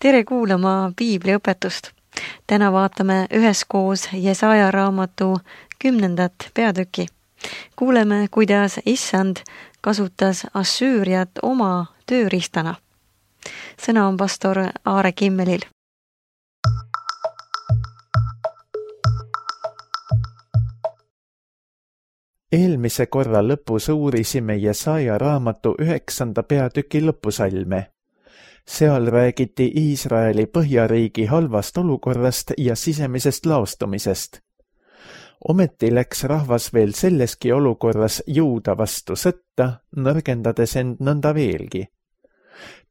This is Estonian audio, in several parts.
Tere kuulama piibliõpetust. Täna vaatame üheskoos Jesaja raamatu 10. peatüki. Kuuleme, kuidas Issand kasutas Assüüriat oma tööriistana. Sõna on pastor Aare Kimmelil. Eelmise korra lõpus uurisime Jesaja raamatu 9. peatüki lõpusalme. Seal räägiti Iisraeli põhjariigi halvast olukorrast ja sisemisest laostumisest. Ometi läks rahvas veel selleski olukorras Juuda vastu sõtta, nõrgendades end nõnda veelgi.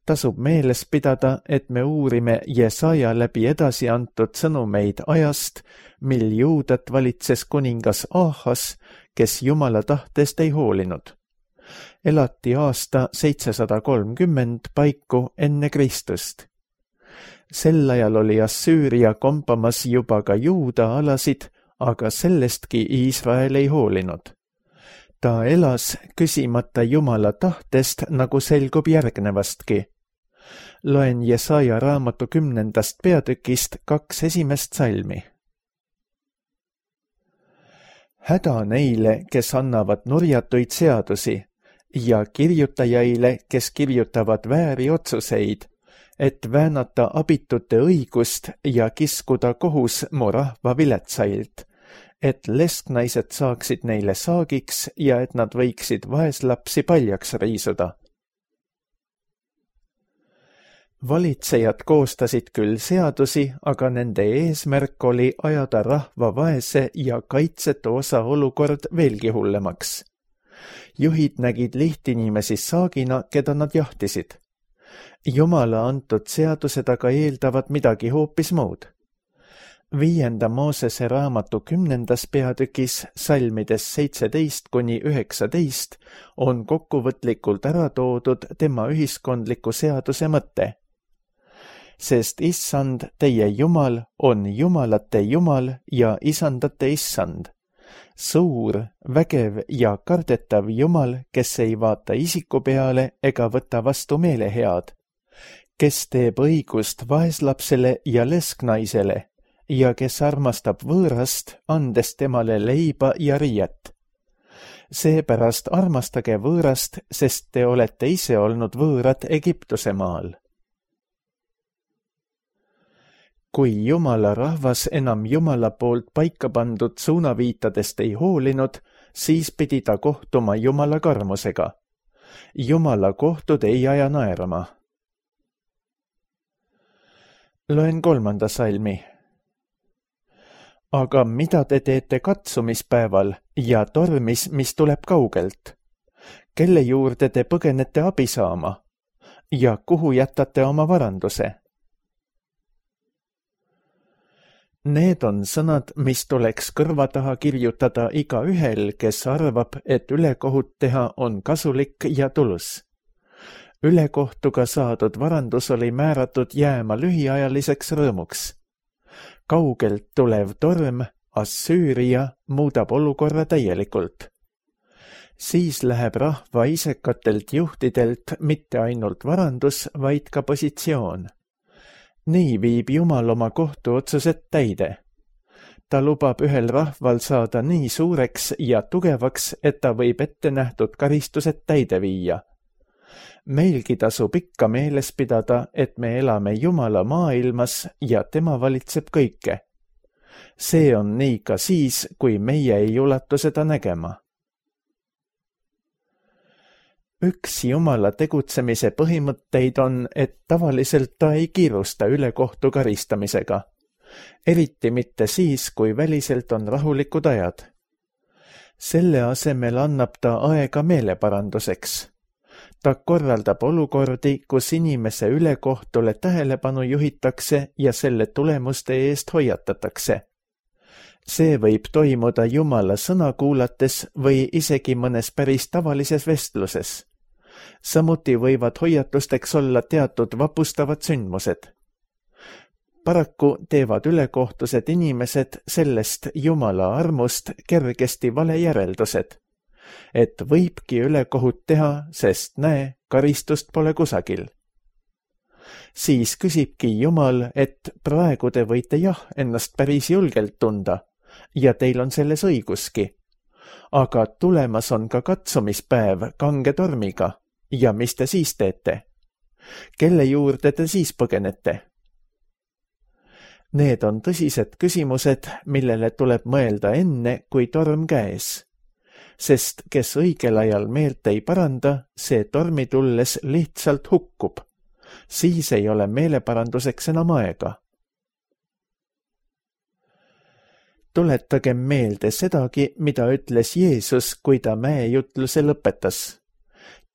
Tasub meeles pidada, et me uurime Jesaja läbi edasi antud sõnumeid ajast, mil Juudat valitses kuningas Ahas, kes Jumala tahtest ei hoolinud. Elati aasta 730 paiku enne Kristust. Sel ajal oli Assüüria kompamas juba ka Juuda alasid, aga sellestki Iisrael ei hoolinud. Ta elas küsimata Jumala tahtest, nagu selgub järgnevastki. Loen Jesaja raamatu 10. peatükist 2 esimest salmi. Häda neile, kes annavad nurjatuid seadusi, ja kirjutajaile, kes kirjutavad vääri otsuseid, et väänata abitute õigust ja kiskuda kohus mu rahva viletsailt, et lesknaised saaksid neile saagiks ja et nad võiksid vaeslapsi paljaks riisuda. Valitsejad koostasid küll seadusi, aga nende eesmärk oli ajada rahva vaese ja kaitsetu osa olukord veelgi hullemaks. Juhid nägid lihtinimesi saagina, keda nad jahtisid. Jumala antud seadused aga eeldavad midagi hoopis muud. 5. Moosese raamatu 10. peatükis salmides 17–19 on kokkuvõtlikult ära toodud tema ühiskondliku seaduse mõte. Sest Issand, teie Jumal, on jumalate Jumal ja isandate Issand. Suur, vägev ja kardetav Jumal, kes ei vaata isiku peale ega võta vastu meelehead, kes teeb õigust vaeslapsele ja lesknaisele ja kes armastab võõrast, andes temale leiba ja riiet. Seepärast armastage võõrast, sest te olete ise olnud võõrad Egiptuse maal. Kui Jumala rahvas enam Jumala poolt paika pandud suunaviitadest ei hoolinud, siis pidi ta kohtuma Jumala karmusega. Jumala kohtud ei aja naerama. Loen 3. salmi. Aga mida te teete katsumispäeval ja tormis, mis tuleb kaugelt? Kelle juurde te põgenete abi saama? Ja kuhu jätate oma varanduse? Need on sõnad, mis tuleks kõrva taha kirjutada igaühel, kes arvab, et ülekohut teha on kasulik ja tulus. Ülekohtuga saadud varandus oli määratud jääma lühiajaliseks rõõmuks. Kaugelt tulev torm, Assüüria, muudab olukorra täielikult. Siis läheb rahva isekatelt juhtidelt mitte ainult varandus, vaid ka positsioon. Nii viib Jumal oma kohtuotsused täide. Ta lubab ühel rahval saada nii suureks ja tugevaks, et ta võib ette nähtud karistused täide viia. Meilgi tasub ikka meeles pidada, et me elame Jumala maailmas ja tema valitseb kõike. See on nii ka siis, kui meie ei ulatu seda nägema. Üks Jumala tegutsemise põhimõtteid on, et tavaliselt ta ei kiirusta ülekohtu karistamisega. Eriti mitte siis, kui väliselt on rahulikud ajad. Selle asemel annab ta aega meeleparanduseks. Ta korraldab olukordi, kus inimese ülekohtule tähelepanu juhitakse ja selle tulemuste eest hoiatatakse. See võib toimuda Jumala sõna kuulates või isegi mõnes päris tavalises vestluses. Samuti võivad hoiatusteks olla teatud vapustavad sündmused. Paraku teevad ülekohtused inimesed sellest Jumala armust kergesti vale järeldused, et võibki ülekohut teha, sest näe, karistust pole kusagil. Siis küsibki Jumal, et praegu te võite ennast päris julgelt tunda ja teil on selles õiguski. Aga tulemas on ka katsumispäev kange tormiga ja mis te siis teete? Kelle juurde te siis põgenete? Need on tõsised küsimused, millele tuleb mõelda enne, kui torm käes. Sest kes õigel ajal meelt ei paranda, see tormi tulles lihtsalt hukkub. Siis ei ole meeleparanduseks enam aega. Tuletagem meelde sedagi, mida ütles Jeesus, kui ta mäejutluse lõpetas.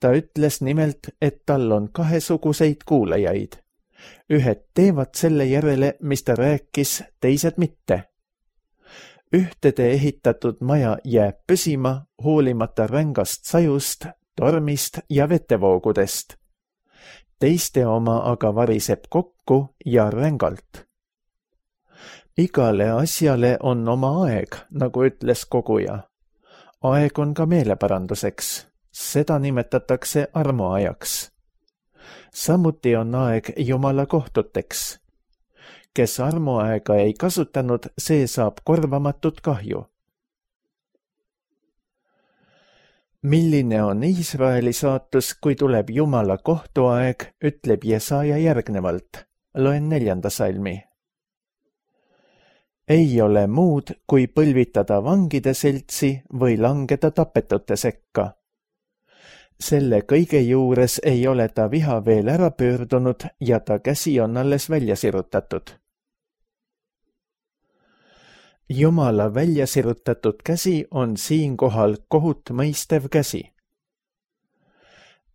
Ta ütles nimelt, et tal on kahesuguseid kuulajaid. Ühed teevad selle järele, mis ta rääkis, teised mitte. Ühtede ehitatud maja jääb püsima hoolimata rängast sajust, tormist ja vetevoogudest. Teiste oma aga variseb kokku ja rängalt. Igale asjale on oma aeg, nagu ütles koguja. Aeg on ka meeleparanduseks. Seda nimetatakse armuajaks. Samuti on aeg Jumala kohtuteks. Kes armuaega ei kasutanud, see saab korvamatut kahju. Milline on Iisraeli saatus, kui tuleb Jumala kohtuaeg, ütleb Jesaja järgnevalt. Loen 4. salmi. Ei ole muud, kui põlvitada vangide seltsi või langeda tapetute sekka. Selle kõige juures ei ole ta viha veel ära pöördunud ja ta käsi on alles välja sirutatud. Jumala välja sirutatud käsi on siinkohal kohut mõistev käsi.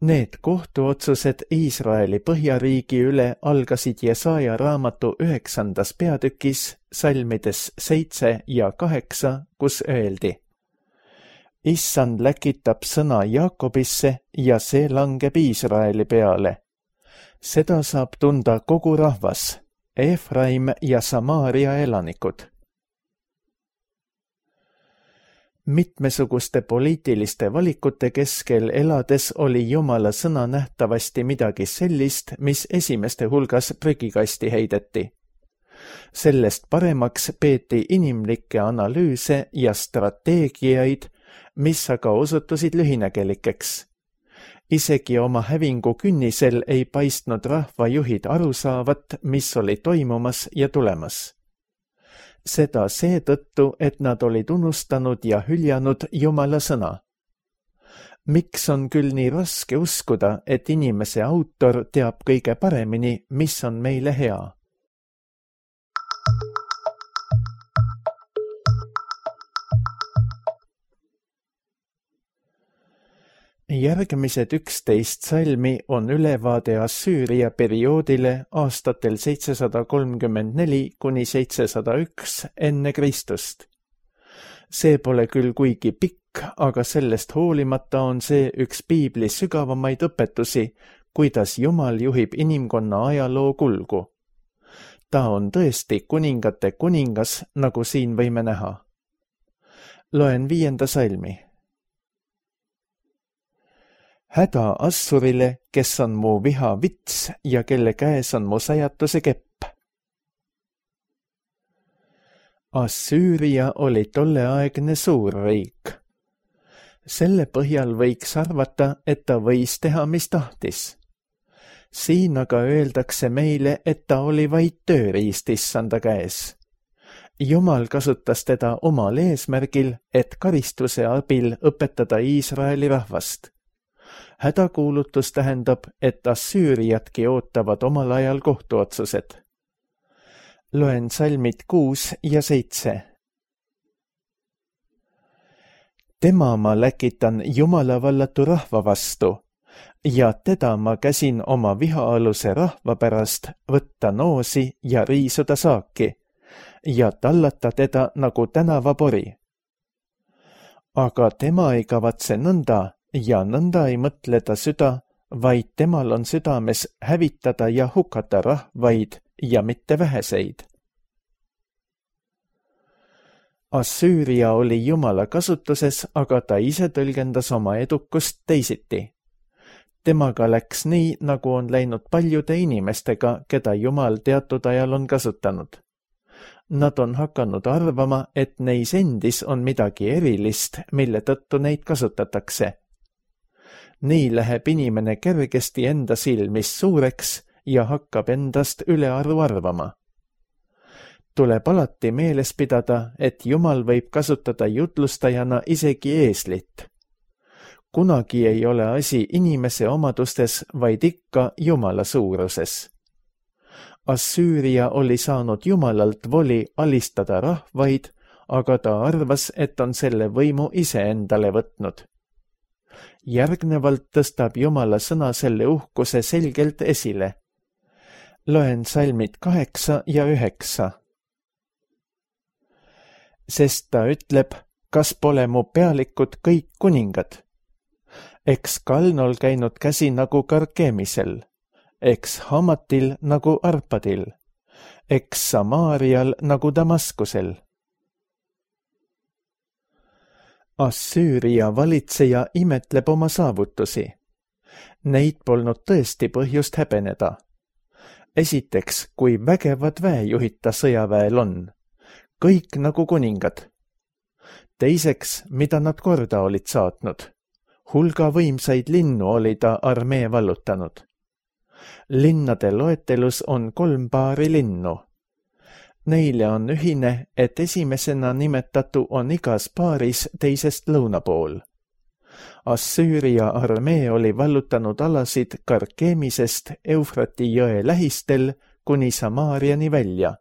Need kohtuotsused Iisraeli põhjariigi üle algasid Jesaja raamatu 9. peatükis salmides 7 ja 8, kus öeldi: Issand läkitab sõna Jaakobisse ja see langeb Iisraeli peale. Seda saab tunda kogu rahvas, Efraim ja Samaaria elanikud. Mitmesuguste poliitiliste valikute keskel elades oli Jumala sõna nähtavasti midagi sellist, mis esimeste hulgas prügikasti heideti. Sellest paremaks peeti inimlikke analüüse ja strateegiaid, mis aga osutusid lühinägelikeks. Isegi oma hävingu künnisel ei paistnud rahvajuhid aru saavat, mis oli toimumas ja tulemas. Seda seetõttu, et nad olid unustanud ja hüljanud Jumala sõna. Miks on küll nii raske uskuda, et inimese autor teab kõige paremini, mis on meile hea? Järgmised 11 salmi on ülevaade Assüüria perioodile aastatel 734 kuni 701 enne Kristust. See pole küll kuigi pikk, aga sellest hoolimata on see üks piibli sügavamaid õpetusi, kuidas Jumal juhib inimkonna ajaloo kulgu. Ta on tõesti kuningate kuningas, nagu siin võime näha. Loen 5. salmi. Häda Assurile, kes on mu viha vits ja kelle käes on mu sajatuse kepp. Assüüria oli tolleaegne suurriik. Selle põhjal võiks arvata, et ta võis teha, mis tahtis. Siin aga öeldakse meile, et ta oli vaid tööriist Issanda käes. Jumal kasutas teda omal eesmärgil, et karistuse abil õpetada Iisraeli rahvast. Hädakuulutus tähendab, et Assüüriatki ootavad omal ajal kohtuotsused. Loen salmid 6 ja 7. Tema ma läkitan Jumala vallatu rahva vastu ja teda ma käsin oma vihaaluse rahva pärast võtta noosi ja riisuda saaki ja tallata teda nagu tänavapori. Aga tema ei kavatse nõnda ja nõnda ei mõtle ta süda, vaid temal on südames hävitada ja hukata rahvaid ja mitte väheseid. Assüüria oli Jumala kasutuses, aga ta ise tõlgendas oma edukust teisiti. Temaga läks nii, nagu on läinud paljude inimestega, keda Jumal teatud ajal on kasutanud. Nad on hakanud arvama, et neis endis on midagi erilist, mille tõttu neid kasutatakse. Nii läheb inimene kergesti enda silmis suureks ja hakkab endast ülearu arvama. Tuleb alati meeles pidada, et Jumal võib kasutada jutlustajana isegi eeslit. Kunagi ei ole asi inimese omadustes, vaid ikka Jumala suuruses. Assüüria oli saanud Jumalalt voli alistada rahvaid, aga ta arvas, et on selle võimu ise endale võtnud. Järgnevalt tõstab Jumala sõna selle uhkuse selgelt esile. Loen salmid 8 ja 9. Sest ta ütleb, kas pole mu pealikud kõik kuningad? Eks Kalnol käinud käsi nagu Karkemisel, eks Hamatil nagu Arpadil, eks Samaarial nagu Damaskusel. Assüüria valitseja imetleb oma saavutusi. Neid polnud tõesti põhjust häbeneda. Esiteks, kui vägevad väejuhid ta sõjaväel on. Kõik nagu kuningad. Teiseks, mida nad korda olid saatnud. Hulga võimsaid linnu oli ta armee vallutanud. Linnade loetelus on 3 paari linnu. Neile on ühine, et esimesena nimetatu on igas paaris teisest lõuna pool. Assüüria armee oli vallutanud alasid Karkemisest Eufrati jõe lähistel kuni Samaariani välja.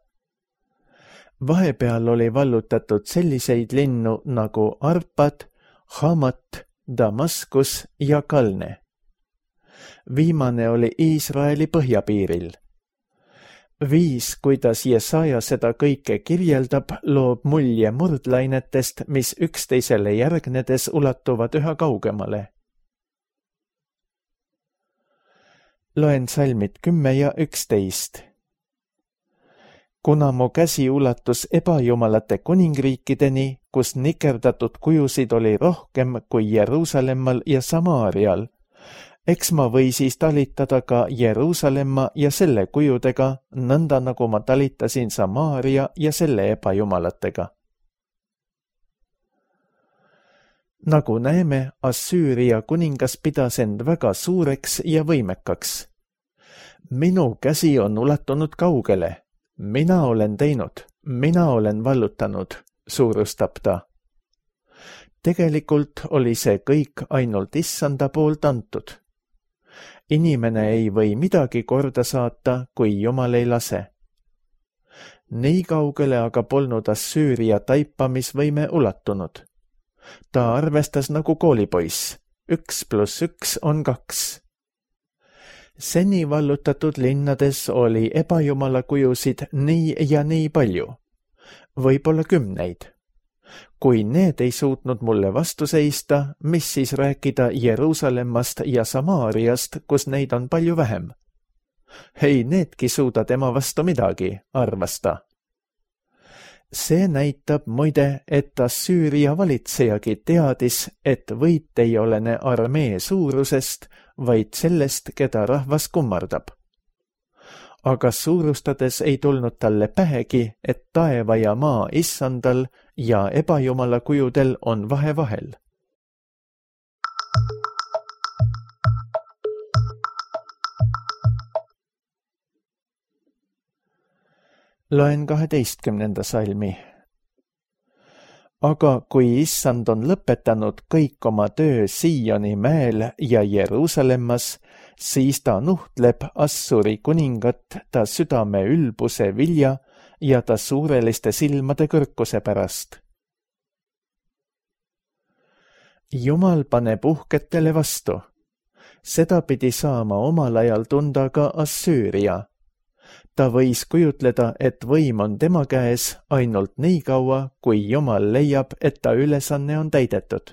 Vahepeal oli vallutatud selliseid linnu nagu Arpad, Hamat, Damaskus ja Kalne. Viimane oli Iisraeli põhjapiiril. Viis, kuidas Jesaja seda kõike kirjeldab, loob mulje murdlainetest, mis üksteisele järgnedes ulatuvad üha kaugemale. Loen salmid 10 ja 11. Kuna mu käsi ulatus ebajumalate kuningriikideni, kus nikerdatud kujusid oli rohkem kui Jeruusalemmal ja Samaarial, eks ma või siis talitada ka Jeruusalemma ja selle kujudega, nõnda nagu ma talitasin Samaaria ja selle ebajumalatega. Nagu näeme, Assüüria kuningas pidas end väga suureks ja võimekaks. Minu käsi on ulatunud kaugele. Mina olen teinud, mina olen vallutanud, suurustab ta. Tegelikult oli see kõik ainult Issanda poolt antud. Inimene ei või midagi korda saata, kui Jumal ei lase. Nii kaugele aga polnud Assüüria taipamisvõime ulatunud. Ta arvestas nagu koolipoiss. 1 + 1 on 2. Seni vallutatud linnades oli ebajumala kujusid nii ja nii palju. Võib-olla 10. Kui need ei suutnud mulle vastu seista, mis siis rääkida Jeruusalemmast ja Samaariast, kus neid on palju vähem? Ei needki suuda tema vastu midagi, arvas ta. See näitab muide, et Assüüria valitsejagi teadis, et võit ei olene armee suurusest, vaid sellest, keda rahvas kummardab. Aga suurustades ei tulnud talle pähegi, et taeva ja maa Issandal ja ebajumala kujudel on vahe vahel. Loen 12. salmi. Aga kui Issand on lõpetanud kõik oma töö Sioni mäel ja Jeruusalemmas, siis ta nuhtleb Assuri kuningat ta südame ülbuse vilja ja ta suureliste silmade kõrkuse pärast. Jumal paneb uhketele vastu. Seda pidi saama omal ajal tunda ka Assüüria. Ta võis kujutleda, et võim on tema käes ainult nii kaua, kui Jumal leiab, et ta ülesanne on täidetud.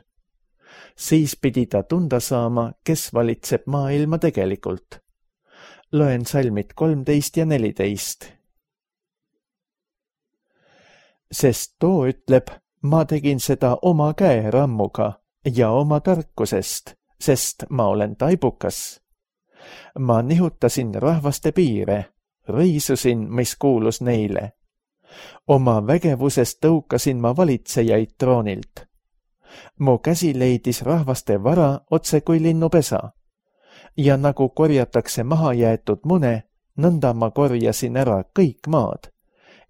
Siis pidi ta tunda saama, kes valitseb maailma tegelikult. Loen salmid 13 ja 14. Sest too ütleb, ma tegin seda oma käerammuga ja oma tarkusest, sest ma olen taibukas. Ma nihutasin rahvaste piire, riisusin, mis kuulus neile. Oma vägevusest tõukasin ma valitsejaid troonilt. Mu käsi leidis rahvaste vara otse kui linnupesa. Ja nagu korjatakse maha jäetud mune, nõnda ma korjasin ära kõik maad.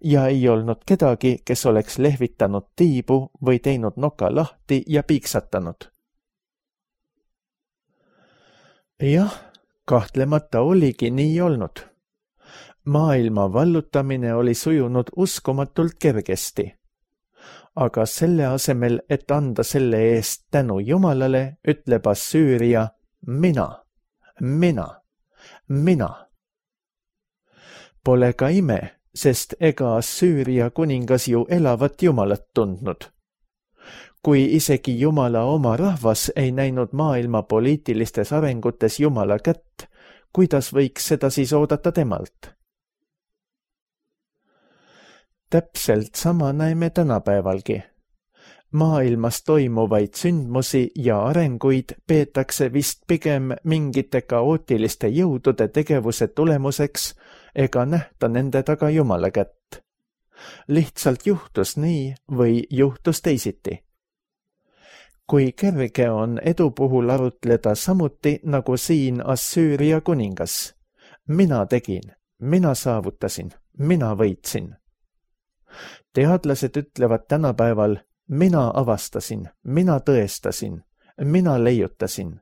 Ja ei olnud kedagi, kes oleks lehvitanud tiibu või teinud noka lahti ja piiksatanud. Jah, kahtlemata oligi nii olnud. Maailma vallutamine oli sujunud uskumatult kergesti. Aga selle asemel, et anda selle eest tänu Jumalale, ütleb Assüüria mina. Pole ka ime, sest ega Assüüria kuningas ju elavat Jumalat tundnud. Kui isegi Jumala oma rahvas ei näinud maailma poliitilistes arengutes Jumala kätt, kuidas võiks seda siis oodata temalt? Täpselt sama näeme tänapäevalgi. Maailmas toimuvaid sündmusi ja arenguid peetakse vist pigem mingite kaootiliste jõudude tegevuse tulemuseks ega nähta nende taga Jumala kätt. Lihtsalt juhtus nii või juhtus teisiti. Kui kerge on edu puhul arutleda samuti nagu siin Assüüria kuningas. Mina tegin, mina saavutasin, mina võitsin. Teadlased ütlevad tänapäeval, mina avastasin, mina tõestasin, mina leiutasin.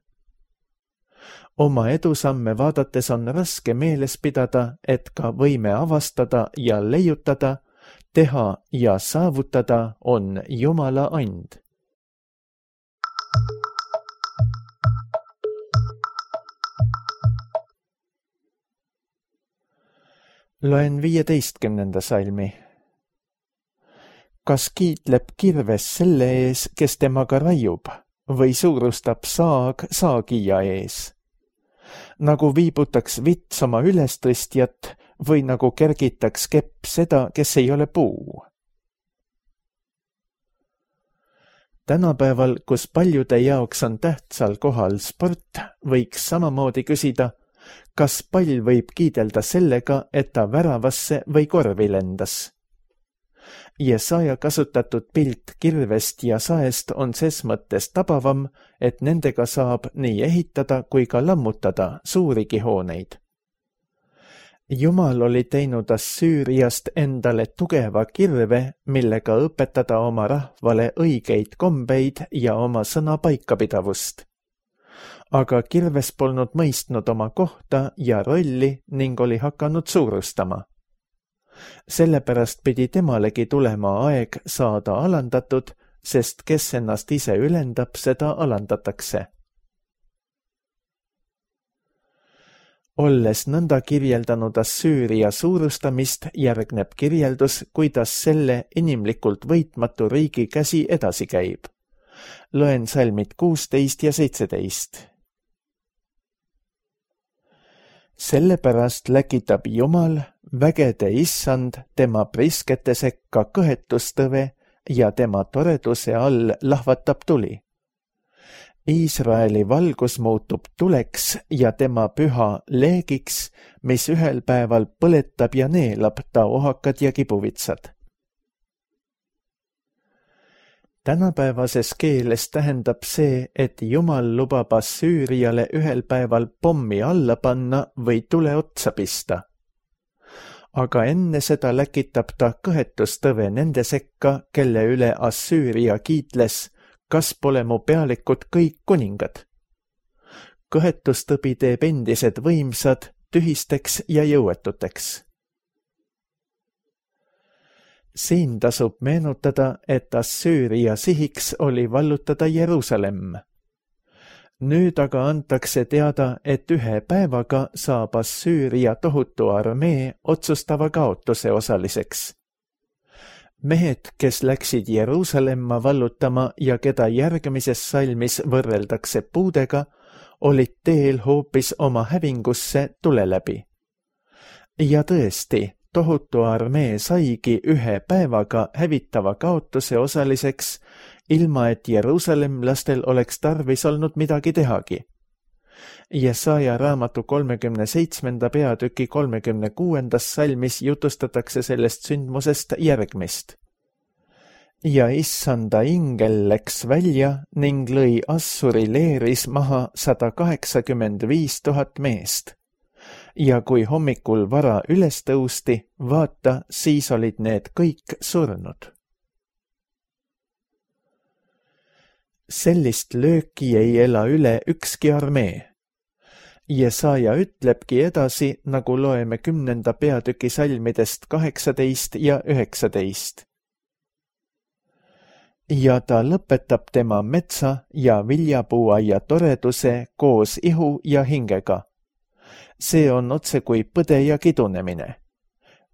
Oma edusamme vaadates on raske meeles pidada, et ka võime avastada ja leiutada, teha ja saavutada on Jumala and. Loen 15. salmi. Kas kiitleb kirves selle ees, kes temaga raiub, või suurustab saag saagija ees? Nagu viibutaks vits oma ülestõstjat või nagu kergitaks kepp seda, kes ei ole puu. Tänapäeval, kus paljude jaoks on tähtsal kohal sport, võiks samamoodi küsida, kas pall võib kiidelda sellega, et ta väravasse või korvi lendas. Jesaja kasutatud pilt kirvest ja saest on ses mõttes tabavam, et nendega saab nii ehitada kui ka lammutada suurigi hooneid. Jumal oli teinud Assüüriast endale tugeva kirve, millega õpetada oma rahvale õigeid kombeid ja oma sõna paikapidavust. Aga kirves polnud mõistnud oma kohta ja rolli ning oli hakanud suurustama. Sellepärast pidi temalegi tulema aeg saada alandatud, sest kes ennast ise ülendab, seda alandatakse. Olles nõnda kirjeldanud Assüüria suurustamist, järgneb kirjeldus, kuidas selle inimlikult võitmatu riigi käsi edasi käib. Loen salmid 16 ja 17. Sellepärast läkitab Jumal, vägede issand, tema priskete sekka kõhetustõve ja tema toreduse all lahvatab tuli. Iisraeli valgus muutub tuleks ja tema püha leegiks, mis ühel päeval põletab ja neelab ta ohakad ja kibuvitsad. Tänapäevases keeles tähendab see, et Jumal lubab Assüüriale ühel päeval pommi alla panna või tule otsa pista. Aga enne seda läkitab ta kõhetustõve nende sekka, kelle üle Assüüria kiitles, kas pole mu pealikud kõik kuningad. Kõhetustõbi teeb endised võimsad tühisteks ja jõuetuteks. Siin tasub meenutada, et Assüüria sihiks oli vallutada Jeruusalemm. Nüüd aga antakse teada, et ühe päevaga saab Assüüria tohutu armee otsustava kaotuse osaliseks. Mehed, kes läksid Jeruusalemma vallutama ja keda järgmises salmis võrreldakse puudega, olid teel hoopis oma hävingusse tule läbi. Ja tõesti, tohutu armee saigi ühe päevaga hävitava kaotuse osaliseks, ilma et Jeruusalemlastel oleks tarvis olnud midagi tehagi. Jesaja raamatu 37. peatüki 36. salmis jutustatakse sellest sündmusest järgmist. Ja issanda ingel läks välja ning lõi Assuri leeris maha 185 000 meest. Ja kui hommikul vara üles tõusti, vaata, siis olid need kõik surnud. Sellist lööki ei ela üle ükski armee. Jesaja ütlebki edasi, nagu loeme 10. peatüki salmidest 18 ja 19. Ja ta lõpetab tema metsa ja viljapuuaia toreduse koos ihu ja hingega. See on otse kui põde ja kidunemine.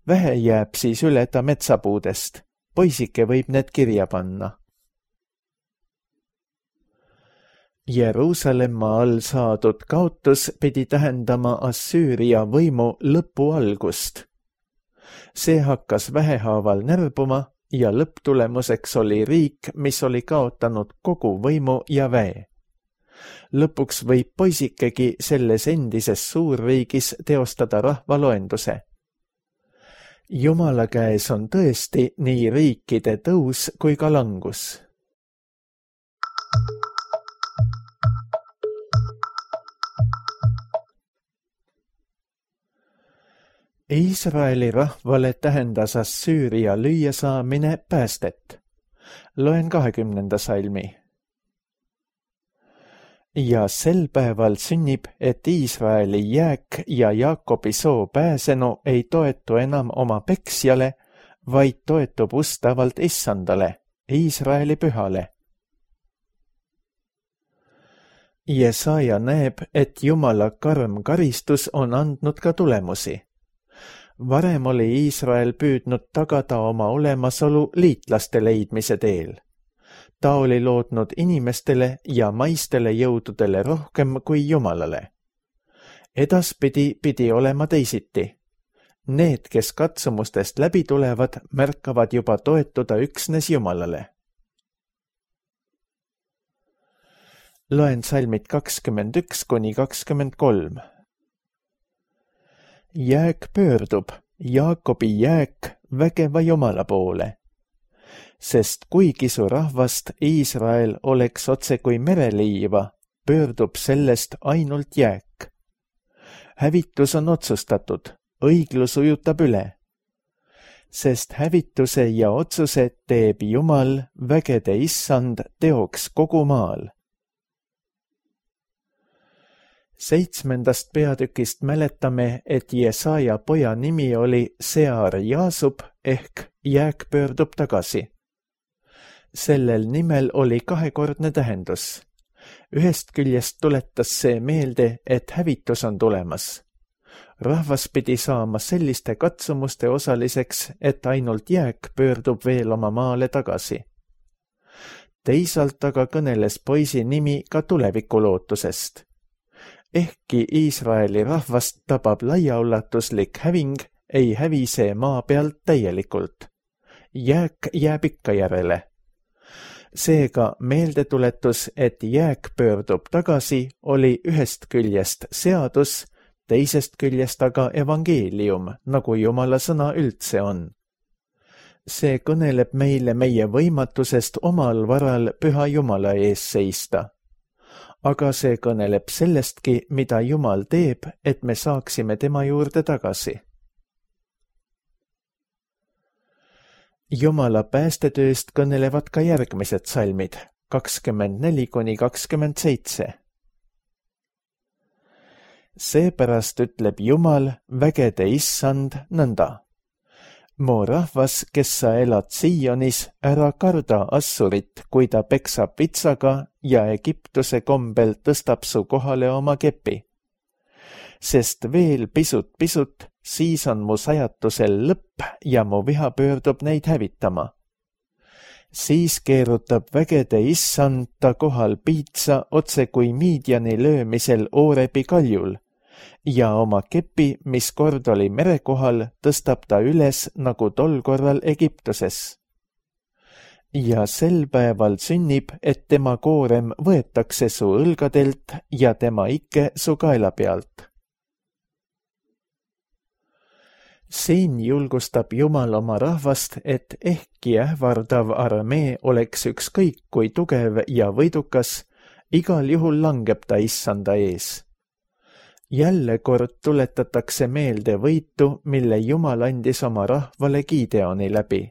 Vähe jääb siis üle ta metsapuudest. Poisike võib need kirja panna. Jeruusalemma all saadud kaotus pidi tähendama Assüüria võimu lõpu algust. See hakkas vähehaaval närbuma ja lõpptulemuseks oli riik, mis oli kaotanud kogu võimu ja väe. Lõpuks võib poisikegi selles endises suurriigis teostada rahvaloenduse. Jumala käes on tõesti nii riikide tõus kui ka langus. Iisraeli rahvale tähendas Assüüria lüüa saamine päästet. Loen 20. salmi. Ja sel päeval sünnib, et Iisraeli jääk ja Jaakobi soo pääsenu ei toetu enam oma peksjale, vaid toetub ustavalt issandale, Iisraeli pühale. Jesaja näeb, et Jumala karm karistus on andnud ka tulemusi. Varem oli Iisrael püüdnud tagada oma olemasolu liitlaste leidmise teel. Ta oli lootnud inimestele ja maistele jõududele rohkem kui Jumalale. Edaspidi pidi olema teisiti. Need, kes katsumustest läbi tulevad, märkavad juba toetuda üksnes Jumalale. Loen salmid 21–23. Jääk pöördub, Jaakobi jääk vägeva Jumala poole. Sest kuigi su rahvast Iisrael oleks otse kui mereliiva, pöördub sellest ainult jääk. Hävitus on otsustatud, õiglus ujutab üle. Sest hävituse ja otsuse teeb Jumal, vägede issand, teoks kogu maal. 7. peatükist mäletame, et Jesaja poja nimi oli Sear Jaasub ehk jääk pöördub tagasi. Sellel nimel oli kahekordne tähendus. Ühest küljest tuletas see meelde, et hävitus on tulemas. Rahvas pidi saama selliste katsumuste osaliseks, et ainult jääk pöördub veel oma maale tagasi. Teisalt aga kõneles poisi nimi ka tulevikulootusest. Ehkki Iisraeli rahvast tabab laiaulatuslik häving, ei hävi see maa pealt täielikult. Jääk jääb ikka järele. Seega meeldetuletus, et jääk pöördub tagasi, oli ühest küljest seadus, teisest küljest aga evangeelium, nagu Jumala sõna üldse on. See kõneleb meile meie võimatusest omal varal püha Jumala ees seista. Aga see kõneleb sellestki, mida Jumal teeb, et me saaksime tema juurde tagasi. Jumala päästetööst kõnelevad ka järgmised salmid, 24–27. Seepärast ütleb Jumal, vägede issand, nõnda. Mu rahvas, kes sa elad Sionis, ära karda Assurit, kui ta peksab vitsaga ja Egiptuse kombel tõstab su kohale oma kepi. Sest veel pisut, siis on mu sajatusel lõpp ja mu viha pöördub neid hävitama. Siis keerutab vägede issand ta kohal piitsa otse kui Miidjani löömisel Oorebi kaljul ja oma kepi, mis kord oli mere kohal, tõstab ta üles nagu tol korral Egiptuses. Ja sel päeval sünnib, et tema koorem võetakse su õlgadelt ja tema ikke su kaela pealt. Siin julgustab Jumal oma rahvast, et ehkki ähvardav armee oleks ükskõik kui tugev ja võidukas, igal juhul langeb ta issanda ees. Jälle kord tuletatakse meelde võitu, mille Jumal andis oma rahvale Gideoni läbi.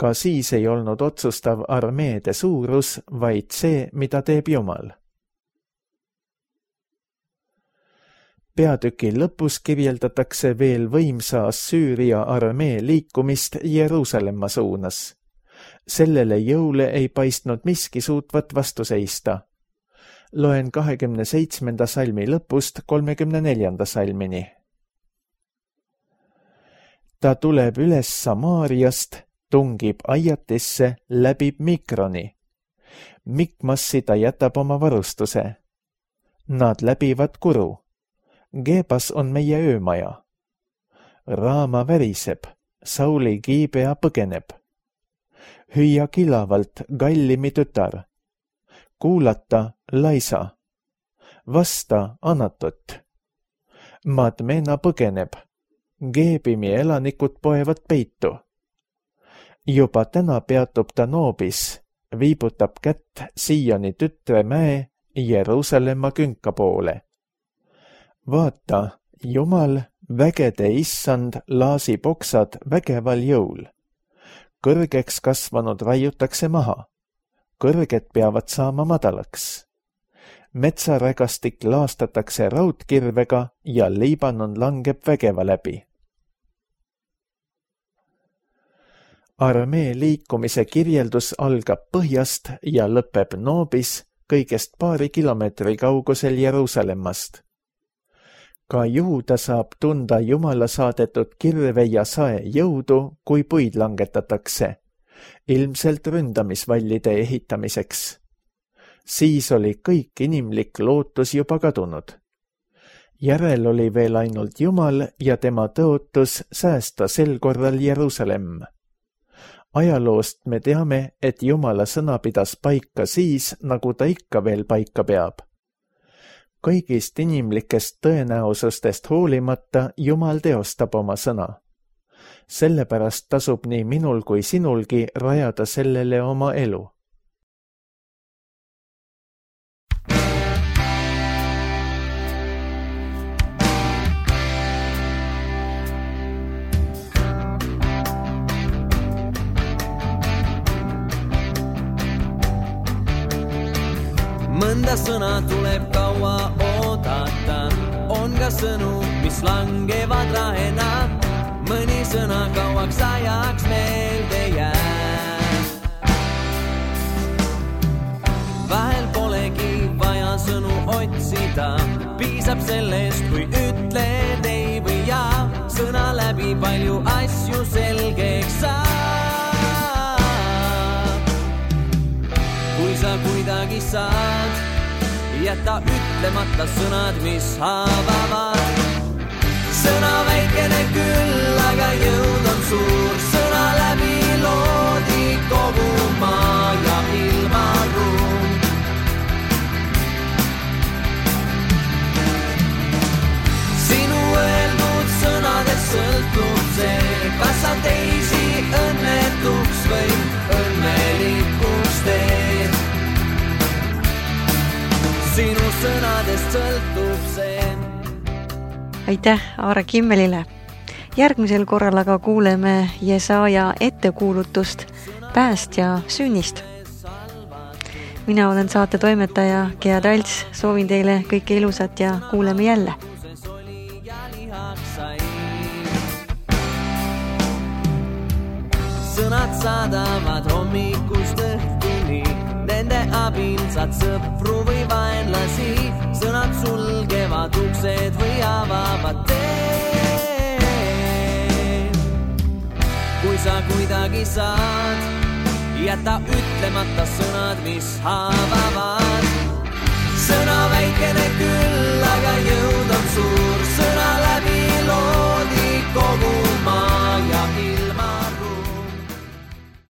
Ka siis ei olnud otsustav armeede suurus, vaid see, mida teeb Jumal. Peatüki lõpus kirjeldatakse veel võimsa Assüüria armee liikumist Jeruusalemma suunas. Sellele jõule ei paistnud miski suutvat vastu seista. Loen 27. salmi lõpust 34. salmini. Ta tuleb üles Samaariast, tungib Aiatisse, läbib Mikroni. Mikmassi ta jätab oma varustuse. Nad läbivad Kuru. Gebas on meie öömaja. Raama väriseb, Sauli Giibea põgeneb. Hüüa kilavalt Gallimi tütar. Kuulata Laisa. Vasta Anatot. Madmena põgeneb. Geebimi elanikud poevad peitu. Juba täna peatub ta Noobis, viibutab kätt Sioni tütre mäe Jeruusalemma künka poole. Vaata, Jumal, vägede issand laasib oksad vägeval jõul. Kõrgeks kasvanud raiutakse maha. Kõrged peavad saama madalaks. Metsarägastik laastatakse raudkirvega ja Liibanon langeb vägeva läbi. Armee liikumise kirjeldus algab põhjast ja lõpeb Noobis, kõigest paari kilomeetri kaugusel Jeruusalemmast. Ka Juuda saab tunda Jumala saadetud kirve ja sae jõudu, kui puid langetatakse, ilmselt ründamisvallide ehitamiseks. Siis oli kõik inimlik lootus juba kadunud. Järel oli veel ainult Jumal ja tema tõotus säästa sel korral Jeruusalemm. Ajaloost me teame, et Jumala sõna pidas paika siis, nagu ta ikka veel paika peab. Kõigist inimlikest tõenäosustest hoolimata Jumal teostab oma sõna. Sellepärast tasub nii minul kui sinulgi rajada sellele oma elu. Mõnda sõna tuleb kaua oodata, on ka sõnu, mis langevad rahena, mõni sõna kauaks ajaks meelde jääb. Vahel polegi vaja sõnu otsida, piisab sellest, kui ütled ei või jaa, sõna läbi palju asju selgeks saab. Kui sa kuidagi saad, jäta ütlemata sõnad, mis haavavad. Sõna väikene küll, aga jõud on suur, sõna läbi loodi kogu maa ja ilmaruum. Sinu öeldud sõnadest sõltub see, kas sa teisi õnnetuks või õnnelikuks teed. Sinu sõnadest sõltub see. Aitäh Aare Kimmelile. Järgmisel korral aga kuuleme Jesaja ettekuulutust päästja sünnist. Mina olen saate toimetaja Gea Talts, soovin teile kõike ilusat ja kuuleme jälle. Sõnad saadavad hommikust õhtuni, nende abil saad sõpru või vaenlasi, sõnad sulgevad uksed või avavad tee. Kui sa kuidagi saad, jäta ütlemata sõnad, mis haavavad. Sõna väikene küll, aga jõud on suur sõna läbi loodi kogu